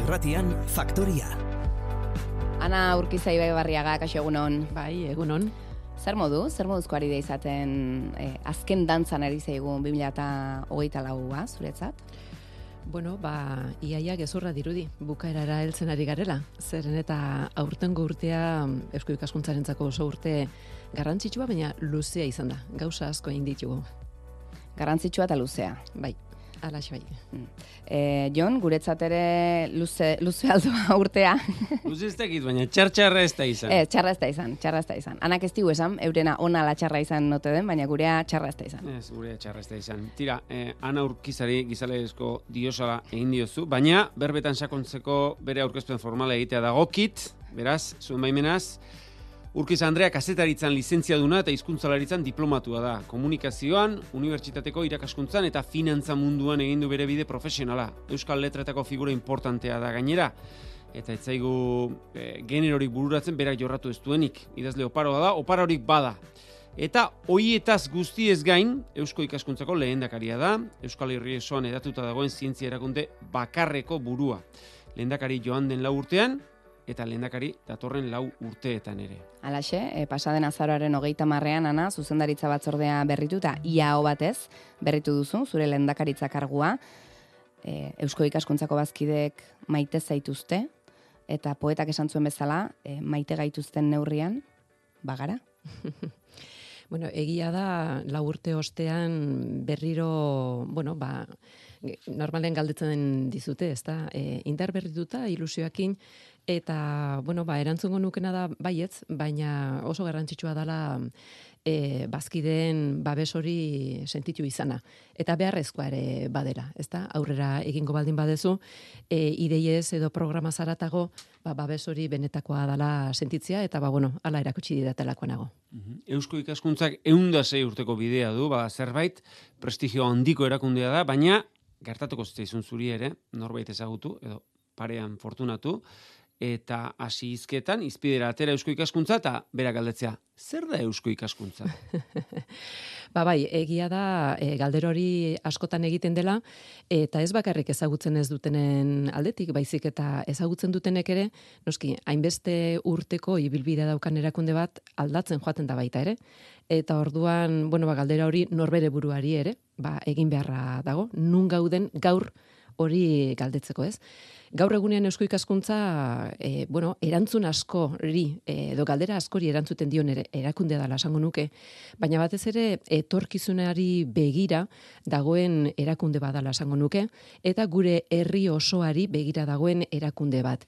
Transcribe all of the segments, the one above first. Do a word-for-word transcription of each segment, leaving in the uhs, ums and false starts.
Irratian, Faktoria. Ana Urkiza Ibaibarriaga, kaixo egunon. Bai, egunon. Zer modu, zer moduzko ari da izaten eh, azken dantzan ari zaigun bi mila hogeita laua, zuretzat? Bueno, ba, iaia gezurra dirudi, bukaerara heltzen ari garela. Zeren eta aurtengo urtea Eusko Ikaskuntzarentzako oso urte garrantzitsua, baina luzea izan da. Gauza asko egin ditugu. Garrantzitsua eta luzea. Bai, alaxe bai. Mm. E, Jon, guretzat ere luze, luze aldoa urtea. Luze ez dakit, baina txar-txarra ez da izan. E, txarra ez da izan, txarra ez da izan. Anak ez digu esan, eurena ona la txarra izan note den, baina gurea txarra ez da izan. Ez, gurea txarra ez da izan. Tira, eh, Ana Urkizari gizalegezko diosala egin diozu, baina berbetan sakontzeko bere aurkezpen formala egitea dagokit, beraz, zuen baimenaz, Urkiz Andrea kazetaritzan lizentziaduna eta hizkuntzalaritzan diplomatua da. Komunikazioan, unibertsitateko irakaskuntzan eta finantza munduan egin du bere bide profesionala. Euskal letretako figura importantea da gainera. Eta ez zaigu e, generorik bururatzen berak jorratu ez duenik. Idazle oparoa da, oparorik bada. Eta hoietaz guztiez gain, Eusko Ikaskuntzako lehendakaria da. Euskal Herri osoan edatuta dagoen zientzia erakunde bakarreko burua. Lehendakari joan den lau urtean, eta lehendakari datorren lau urteetan ere. Halaxe, e, pasaden azaroaren hogeita marrean, Ana, zuzendaritza batzordea berritu eta ia hau batez berritu duzu, zure lehendakaritza kargua. E, Eusko Ikaskuntzako bazkideek maite zaituzte, eta poetak esan zuen bezala, e, maite gaituzten neurrian, bagara? Bueno, egia da, lau urte ostean berriro, bueno, ba, normalen galdetzen dizute, ez da, e, indar berrituta, ilusioakin, eta, bueno, ba, erantzungo nukena da baietz, baina oso garrantzitsua dela e, bazkideen babes hori sentitu izana. Eta beharrezkoa ere badera, ez da, aurrera egingo baldin badezu, e, ideiez edo programa zaratago, ba, babes hori benetakoa dela sentitzia, eta, ba, bueno, ala erakutsi didatelakoa nago. Eusko Ikaskuntzak ehun eta sei urteko bidea du, ba, zerbait, prestigio handiko erakundea da, baina gertatuko zitzaizun zuri ere, norbait ezagutu, edo parean fortunatu, eta hasi hizketan izpidera atera Eusko Ikaskuntza eta berak galdetzea, zer da Eusko Ikaskuntza? Ba bai, egia da e, galdera hori askotan egiten dela, eta ez bakarrik ezagutzen ez dutenen aldetik, baizik eta ezagutzen dutenek ere, noski, hainbeste urteko ibilbidea daukan erakunde bat aldatzen joaten da baita ere, eta orduan, bueno, ba, galdera hori norbere buruari ere, ba, egin beharra dago, nun gauden gaur hori galdetzeko, ez? Gaur egunean Eusko Ikaskuntza, e, bueno, erantzun askori, e, edo galdera askori erantzuten dion ere, erakundea dela esango nuke, baina batez ere etorkizunari begira dagoen erakunde badala esango nuke, eta gure herri osoari begira dagoen erakunde bat.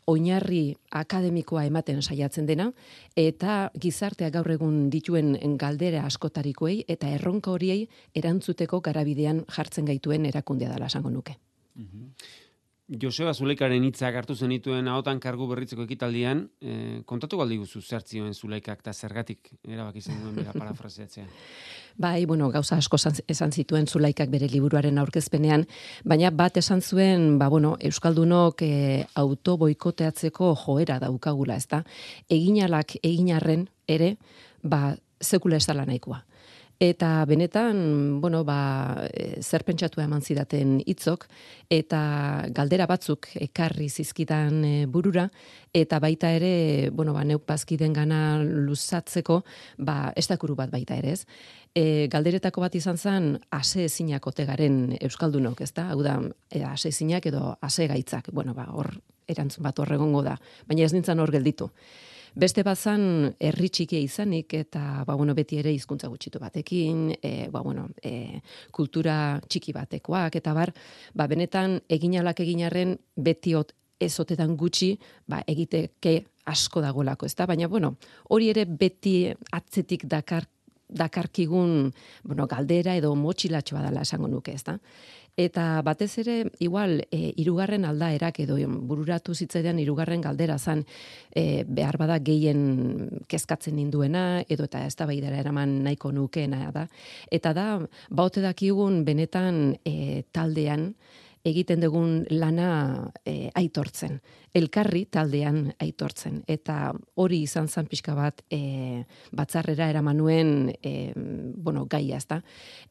Oinarri akademikoa ematen saiatzen dena, eta gizartea gaur egun dituen galdera askotarikoei, eta erronka horiei erantzuteko garabidean jartzen gaituen erakundea dela esango nuke. Joseba Zuleikaren hitzak hartu zenituen ahotan kargu berritzeko ekitaldian, eh, kontatu galdi guzu zertzioen Zuleikak eta zergatik erabaki zen duen bera parafraseatzea. Bai, bueno, gauza asko esan zituen Zuleikak bere liburuaren aurkezpenean, baina bat esan zuen, ba, bueno, Euskaldunok e, autoboikoteatzeko joera daukagula, ezta? Eginalak eginarren ere, ba, sekula ez dela nahikoa. Eta benetan, bueno, ba, zer pentsatua eman zidaten hitzok, eta galdera batzuk ekarri zizkidan e, burura, eta baita ere, bueno, ba, neuk bazkiden gana luzatzeko, ba, estakuru bat baita ere ez. E, galderetako bat izan zen, ase ezinak ote garen Euskaldunok, ezta? Hau da, e, ase ezinak edo ase gaitzak. Bueno, ba, hor erantzun bat horregongo da, baina ez nintzen hor gelditu. Beste bazan herri txikia izanik eta ba, bueno, beti ere hizkuntza gutxitu batekin, e, ba, bueno, e, kultura txiki batekoak eta bar, ba, benetan eginalak eginarren beti ot, ez otetan gutxi ba, egiteke asko dagoelako, ezta? Baina bueno, hori ere beti atzetik dakar dakarkigun, bueno, galdera edo motxilatxoa dela esango nuke, ezta? Eta batez ere, igual, e, irugarren aldaerak edo bururatu zitzaidan irugarren galdera zan, e, behar bada gehien kezkatzen ninduena, edo eta ez da baidara eraman nahiko nukeena da. Eta da, baute dakigun benetan e, taldean, egiten dugun lana e, aitortzen. elkarri taldean aitortzen. Eta hori izan zan pixka bat e, batzarrera eramanuen e, bueno, gaia, ezta.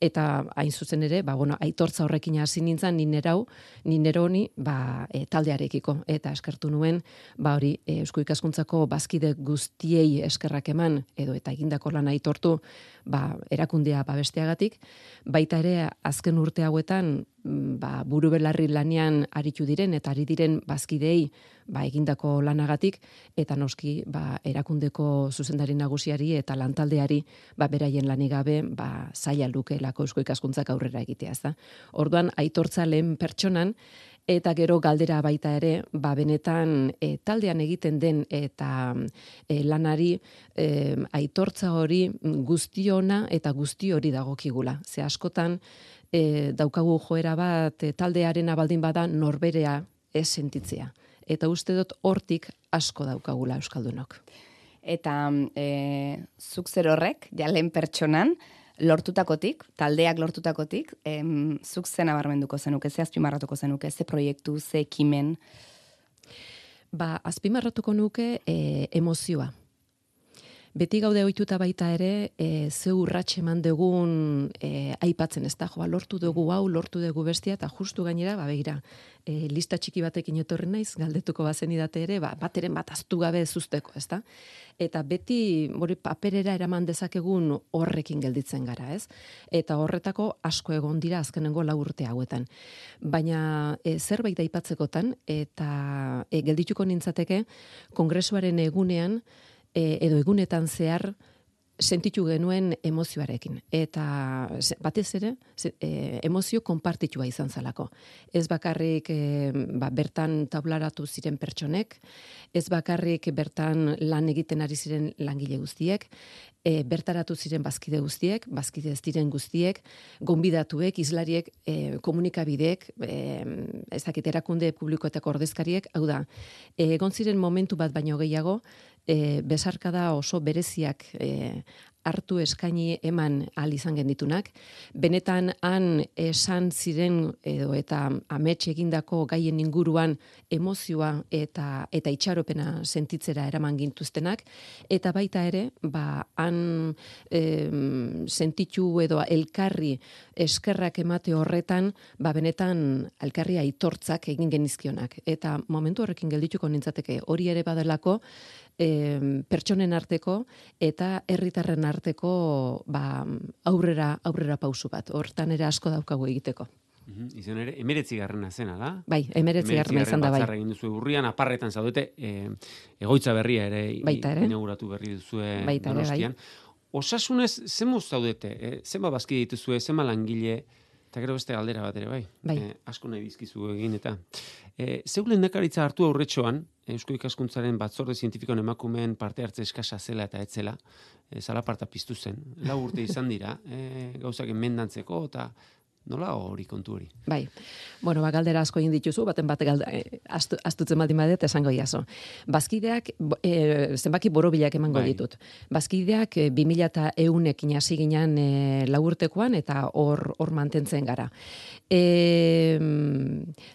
Eta hain zuzen ere, ba, bueno, aitortza horrekin hasi nintzen, ninerau, nineroni, ba, e, taldearekiko. Eta eskertu nuen, ba, hori, e, Eusko Ikaskuntzako bazkide guztiei eskerrak eman, edo eta egindako lan aitortu, ba, erakundea babesteagatik, baita ere azken urte hauetan ba, buru belarri lanean aritu diren eta ari diren bazkideei ba, egindako lanagatik, eta noski ba, erakundeko zuzendari nagusiari eta lantaldeari ba, beraien lanik gabe ba, zaila lukeelako Eusko Ikaskuntzak aurrera egitea. Ez da? Orduan, aitortza lehen pertsonan, eta gero galdera baita ere, ba, benetan e, taldean egiten den eta e, lanari e, aitortza hori guztiona eta guzti hori dagokigula. Ze askotan e, daukagu joera bat e, taldearena baldin bada norberea ez sentitzea. Eta uste dut hortik asko daukagula euskaldunok. Eta e, zuk zer horrek, ja lehen pertsonan, lortutakotik, taldeak lortutakotik, em, zuk zen abarmenduko zenuke, ze azpimarratuko zenuke, ze proiektu, ze ekimen? Ba, azpimarratuko nuke e, emozioa. Beti gaude ohituta baita ere, e, ze urrats eman dugun e, aipatzen, ez da, joa, lortu dugu hau, lortu dugu bestia, eta justu gainera, ba, begira, e, lista txiki batekin etorri naiz, galdetuko bazen idate ere, ba, bateren bat aztu gabe zuzteko, ez da? Eta beti, hori paperera eraman dezakegun horrekin gelditzen gara, ez? Eta horretako asko egon dira azkenengo lau urte hauetan. Baina e, zerbait aipatzekotan, eta e, geldituko nintzateke, kongresuaren egunean, E, edo egunetan zehar sentitu genuen emozioarekin. Eta batez ere, e, emozio konpartitua izan zalako. Ez bakarrik e, ba, bertan tablaratu ziren pertsonek, ez bakarrik bertan lan egiten ari ziren langile guztiek, e, bertaratu ziren bazkide guztiek, bazkide ez diren guztiek, gonbidatuek, izlariek, e, komunikabideek, e, ezakit erakunde publikoetako ordezkariek, hau da, e, egon ziren momentu bat baino gehiago, E, besarkada oso bereziak e, hartu eskaini eman ahal izan genditunak. Benetan han esan ziren edo eta amets egindako gaien inguruan emozioa eta eta itxaropena sentitzera eraman gintuztenak, eta baita ere, ba, han e, sentitu edo elkarri eskerrak emate horretan, ba, benetan elkarri aitortzak egin genizkionak. Eta momentu horrekin geldituko nintzateke, hori ere badelako, E, pertsonen arteko eta herritarren arteko ba, aurrera aurrera pausu bat. Hortan ere asko daukagu egiteko. Mm-hmm. Izan ere, emeretzi garrena zena da? Bai, emeretzi garrena izan da, bai. Batzarra egin duzu urrian, aparretan zaudete, e, egoitza berria ere, baita ere, inauguratu berri duzue baita Donostian. Ere, bai. Osasunez, zenbo zaudete? E, zenba bazki dituzue, zenba langile, eta gero beste galdera bat ere, bai. bai. E, asko nahi dizkizu egin, eta e, zeu lehendakaritza hartu aurretxoan, Eusko Ikaskuntzaren batzorde zientifikoen emakumeen parte hartze eskasa zela eta etzela, e, zalaparta piztu zen. Lau urte izan dira, e, gauzak enmendantzeko, eta nola hori kontu hori? Bai, bueno, ba, galdera asko egin dituzu, baten bat galda, e, astu, astutzen baldin badet esango iazo. Bazkideak, e, zenbaki borobilak emango bai. ditut. Bazkideak e, bi mila eta eunekin hasi ginen e, lau urtekoan, eta hor hor mantentzen gara. E,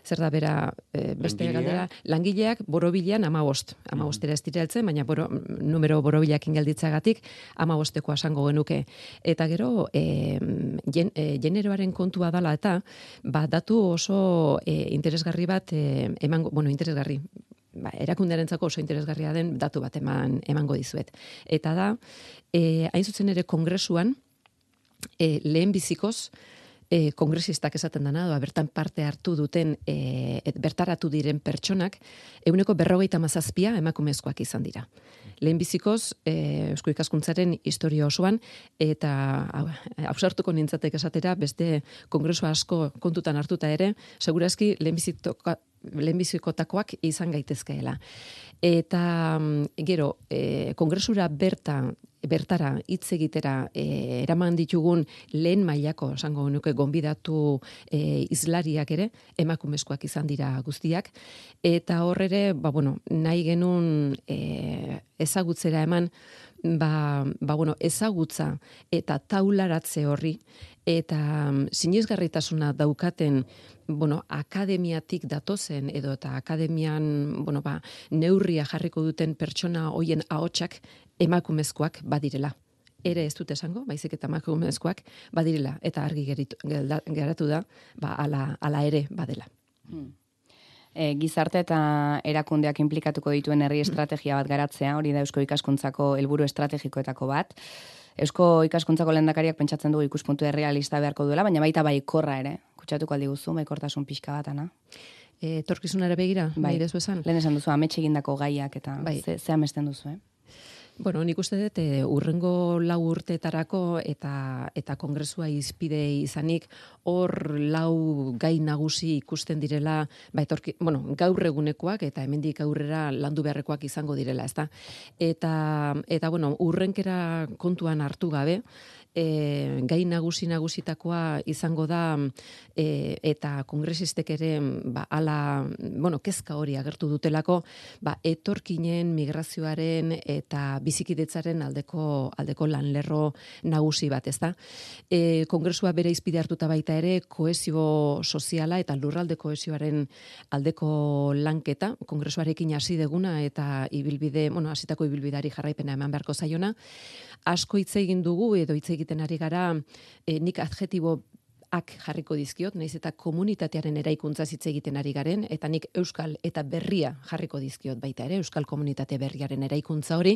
zer da bera, e, beste Langilea? galdera, langileak borobilean amabost. Amabostera ez dira heltzen, baina boro, numero borobilakin gelditzagatik amabostekoa esango genuke. Eta gero, e, gen, e, generoaren kontu dala eta ba, datu oso e, interesgarri bat e, emango, bueno, interesgarri, ba, erakundearentzako oso interesgarria den datu bat eman, emango dizuet. Eta da, e, hain zuzen ere kongresuan, e, lehen bizikoz, e, kongresistak esaten dena, doa, bertan parte hartu duten, e, et, bertaratu diren pertsonak, eguneko berrogeita mazazpia emakumezkoak izan dira. Lehenbizikoz, e, Eusko Ikaskuntzaren historia osoan, eta hausartuko nintzatek esatera, beste kongresu asko kontutan hartuta ere, segurazki lehenbizikotakoak izan gaitezkeela. Eta gero, e, kongresura berta, bertara hitz egitera e, eraman ditugun lehen mailako, esango nuke gonbidatu e, izlariak ere, emakumezkoak izan dira guztiak, eta horre ere, ba, bueno, nahi genuen e, ezagutzera eman, ba, ba bueno, ezagutza eta taularatze horri, eta sinesgarritasuna daukaten, bueno, akademiatik datozen edo eta akademian, bueno, ba, neurria jarriko duten pertsona hoien ahotsak emakumezkoak badirela. Ere ez dut esango, baizik eta emakumezkoak badirela, eta argi geritu, geratu da, ba, ala, ala ere badela. Hmm. E, gizarte eta erakundeak inplikatuko dituen herri estrategia bat garatzea, hori da Eusko Ikaskuntzako helburu estrategikoetako bat. Eusko Ikaskuntzako lehendakariak pentsatzen dugu ikuspuntu errealista beharko duela, baina baita baikorra ere. Kutsatuko aldi guzu, baikortasun pixka bat, Ana? E, torkizunara begira, bai, dezu esan? Lehen esan duzu, amets egindako gaiak eta bai. ze, ze amesten duzu, eh? Bueno, nik uste dut, e, urrengo lau urteetarako eta eta kongresua izpide izanik, hor lau gai nagusi ikusten direla, ba, etorki, bueno, gaur egunekoak eta hemendik aurrera landu beharrekoak izango direla, ezta? Eta, eta bueno, urrenkera kontuan hartu gabe, E, gai nagusi nagusitakoa izango da e, eta kongresistek ere ba, ala, bueno, kezka hori agertu dutelako, ba, etorkinen migrazioaren eta bizikidetzaren aldeko aldeko lanlerro nagusi bat, ezta? E, kongresua bere izpide hartuta baita ere kohesio soziala eta lurralde kohesioaren aldeko lanketa, kongresuarekin hasi deguna eta ibilbide, bueno, hasitako ibilbidari jarraipena eman beharko zaiona. Asko hitz egin dugu edo hitz egiten ari gara, e, nik adjetibo ak jarriko dizkiot, naiz eta komunitatearen eraikuntza hitz egiten ari garen, eta nik euskal eta berria jarriko dizkiot baita ere, euskal komunitate berriaren eraikuntza hori,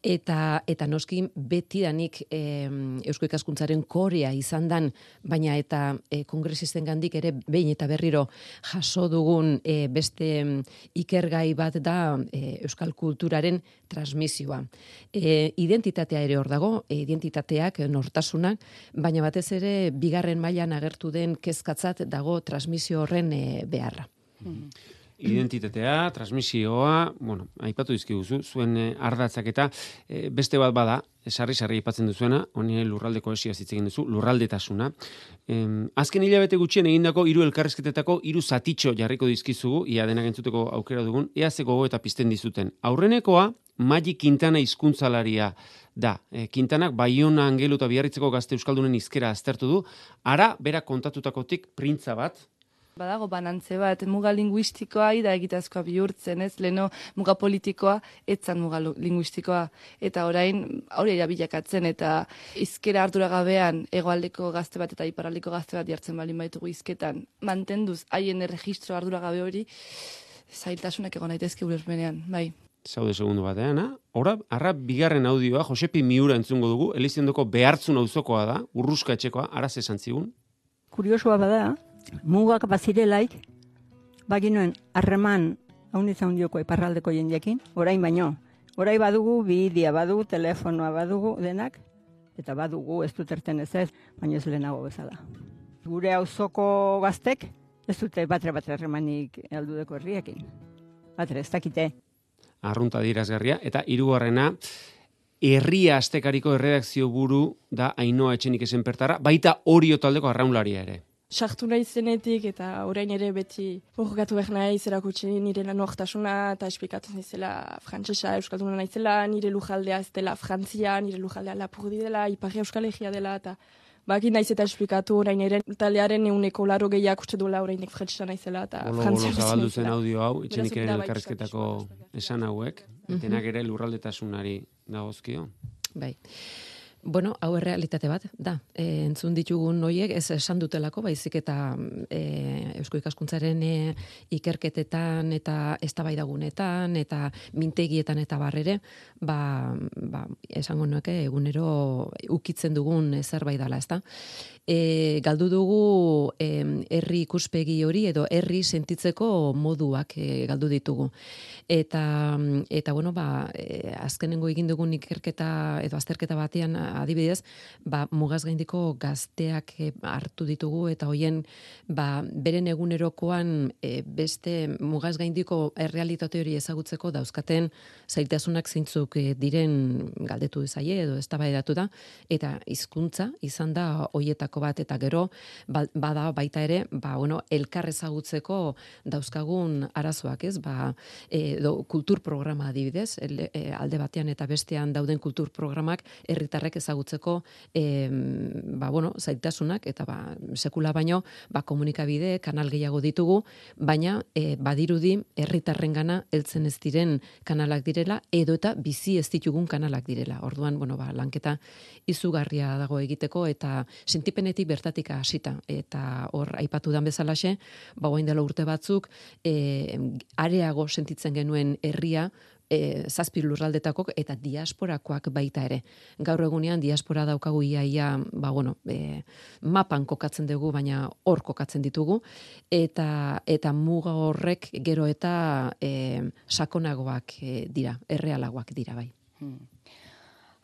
eta eta noski betidanik e, Eusko Ikaskuntzaren korea izan dan, baina eta e, kongresisten gandik ere behin eta berriro jaso dugun e, beste ikergai bat da e, euskal kulturaren transmisioa. E, identitatea ere hor dago, e, identitateak, nortasunak, baina batez ere bigarren mailan agertu den kezkatzat dago transmisio horren e, beharra. Mm-hmm. Identitatea, transmisioa, bueno, aipatu dizkiguzu, zuen eh, ardatzak eta eh, beste bat bada, sarri-sarri aipatzen duzuena, honi lurralde kohesioa hitz egin duzu, lurraldetasuna. Em, azken hilabete gutxien egindako hiru elkarrizketetako hiru zatitxo jarriko dizkizugu, ia denak entzuteko aukera dugun, ea ze gogo eta pizten dizuten. Aurrenekoa, Magi Quintana hizkuntzalaria da. E, Quintanak Baiona, Angelu eta Biarritzeko gazte euskaldunen hizkera aztertu du, ara bera kontatutakotik printza bat, badago banantze bat, muga linguistikoa da egitazkoa bihurtzen, ez? Leno muga politikoa, etzan muga linguistikoa. Eta orain, hori bilakatzen eta hizkera arduragabean hegoaldeko gazte bat eta iparraldeko gazte bat jartzen balin baitugu hizketan, mantenduz haien erregistro arduragabe hori, zailtasunak egon daitezke ulermenean, bai. Zaude segundu batean, ora, arra bigarren audioa, Josepi Miura entzungo dugu, Elizondoko Behartzun auzokoa da, Urruska etxekoa, araz esan zigun. Kuriosoa bada, mugak bazirelaik, baginoen harreman hauniz haundioko iparraldeko jendeekin, orain baino. Orain badugu, bidea badugu, telefonoa badugu, denak, eta badugu ez dut erten ez ez, baina ez lehenago bezala. Gure auzoko gaztek, ez dute batre-batre harremanik aldudeko herriekin. Batre, ez dakite. Arrunta dirazgarria, eta hirugarrena, Herria Astekariko erredakzio buru da Ainhoa Etxenik Esenpertarra, baita Orio taldeko arraunlaria ere. Sartu nahi zenetik eta orain ere beti borrokatu behar nahi zerakutsi nire lanortasuna eta esplikatu naizela frantsesa euskalduna naizela, nire lujaldea ez dela Frantzia, nire lujaldea Lapurdi dela, Ipar Euskal Herria dela eta baki naiz eta esplikatu orain ere taldearen ehuneko laro gehiak uste duela orainek frantsesa naizela eta Frantzia. Bolo zabaldu zen audio hau, Etxenikeren elkarrizketako esan hauek, denak ere lurraldetasunari dagozkio. Bai. Bueno, hau errealitate bat, da. E, entzun ditugun noiek ez esan dutelako, baizik eta e, Eusko Ikaskuntzaren e, ikerketetan eta eztabaidagunetan eta mintegietan eta barrere, ba, ba, esango nuke egunero ukitzen dugun zerbait dela, ezta? E, galdu dugu e, herri ikuspegi hori edo herri sentitzeko moduak e, galdu ditugu. Eta, eta bueno, ba, e, azkenengo egin dugun ikerketa edo azterketa batean adibidez, ba, mugaz gaindiko gazteak e, hartu ditugu eta hoien ba, beren egunerokoan e, beste mugaz gaindiko errealitate hori ezagutzeko dauzkaten zailtasunak zeintzuk e, diren galdetu zaie edo eztabaidatu da, eta hizkuntza izan da hoietako bat, eta gero ba, bada baita ere, ba, bueno, elkar ezagutzeko dauzkagun arazoak, ez? Ba, edo kultur programa adibidez, el, e, alde batean eta bestean dauden kultur programak herritarrek ezagutzeko e, ba, bueno, zailtasunak, eta ba, sekula baino ba, komunikabide, kanal gehiago ditugu, baina e, badirudi herritarrengana heltzen ez diren kanalak direla, edo eta bizi ez ditugun kanalak direla. Orduan, bueno, ba, lanketa izugarria dago egiteko, eta sentipenetik bertatik hasita, eta hor aipatu dan bezalaxe, ba, orain dela urte batzuk e, areago sentitzen genuen herria, E, zazpi lurraldetakok eta diasporakoak baita ere. Gaur egunean diaspora daukagu iaia, ba, bueno, e, mapan kokatzen dugu, baina hor kokatzen ditugu, eta eta muga horrek gero eta e, sakonagoak e, dira, errealagoak dira bai. Hmm.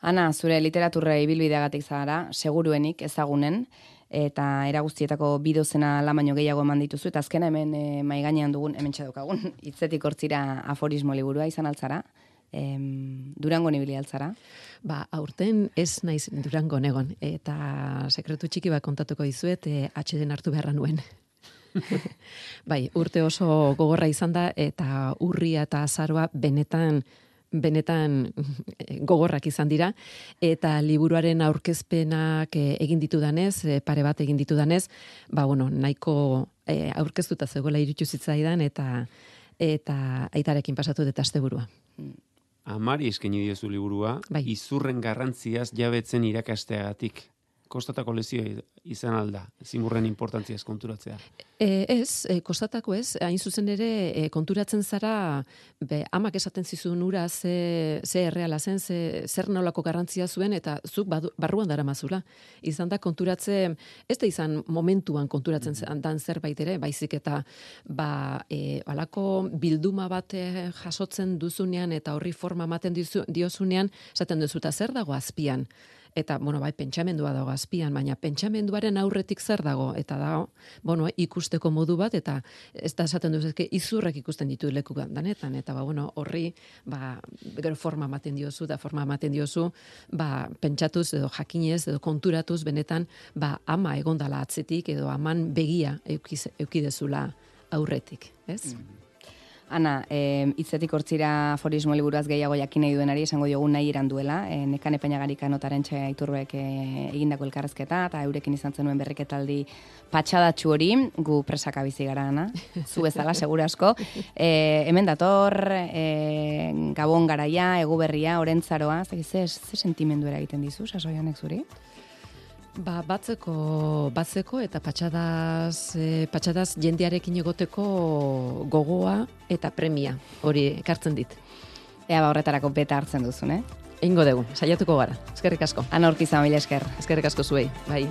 Ana, zure literaturra ibilbideagatik zara, seguruenik ezagunen, eta era guztietako bidozena la baino gehiago eman dituzu, eta azkena hemen e, mai gainean dugun, hemen txadokagun, hitzetik hortzira aforismo liburua izan altzara, em, Durangon ibili altzara? Ba, aurten ez naiz Durangon egon, eta sekretu txiki bat kontatuko dizuet, e, atxeden hartu beharra nuen. Bai, urte oso gogorra izan da, eta urria eta azaroa benetan benetan gogorrak izan dira, eta liburuaren aurkezpenak egin ditudanez, pare bat egin ditudanez, ba, bueno, nahiko e, aurkeztuta zegoela iruditu zitzaidan, eta eta aitarekin pasatu dut asteburua. Amari eskaini diozu liburua, bai. Izurren garrantziaz jabetzen irakasteagatik. Kostatako lezio izan alda, zimurren importantziaz konturatzea. E, ez, e, kostatako ez, hain zuzen ere e, konturatzen zara, be, amak esaten zizun ura ze, ze erreala zen, ze, zer nolako garrantzia zuen, eta zuk badu, barruan dara mazula. Izan da konturatzen, ez da izan momentuan konturatzen mm-hmm. dan zerbait ere, baizik eta ba, e, alako bilduma bat e, jasotzen duzunean, eta horri forma ematen dizu, diozunean, esaten duzuta zer dago azpian. Eta, bueno, bai, pentsamendua dago azpian, baina pentsamenduaren aurretik zer dago, eta dago, bueno, ikusteko modu bat, eta ez da esaten duz, ezke, izurrek ikusten ditu leku danetan, eta, ba, bueno, horri, ba, gero forma ematen diozu, da forma ematen diozu, ba, pentsatuz, edo jakinez, edo konturatuz, benetan, ba, ama egondala atzetik, edo aman begia eukiz, eukidezula aurretik, ez? Mm. Ana, e, hitzetik hortzira aforismo liburuaz gehiago jakin nahi duenari, esango diogu nahi iran duela, e, Nekane Peñagarika notaren txe Iturbek e, egindako elkarrezketa, eta eurekin izan zenuen berriketaldi patxadatxu hori, gu presaka bizi gara, Ana, zu bezala, segura asko. E, hemen dator, e, Gabon garaia, egu berria, orentzaroa, ze, ze, ze sentimendu egiten dizu, sasoianek zuri? Ba, batzeko, batzeko eta patxadaz, e, patxadaz jendearekin egoteko gogoa eta premia, hori ekartzen dit. Ea ba horretarako beta hartzen duzun, eh? Eingo dugu, saiatuko gara. Eskerrik asko. Ana Urkiza, mila esker. Eskerrik asko zuei, bai.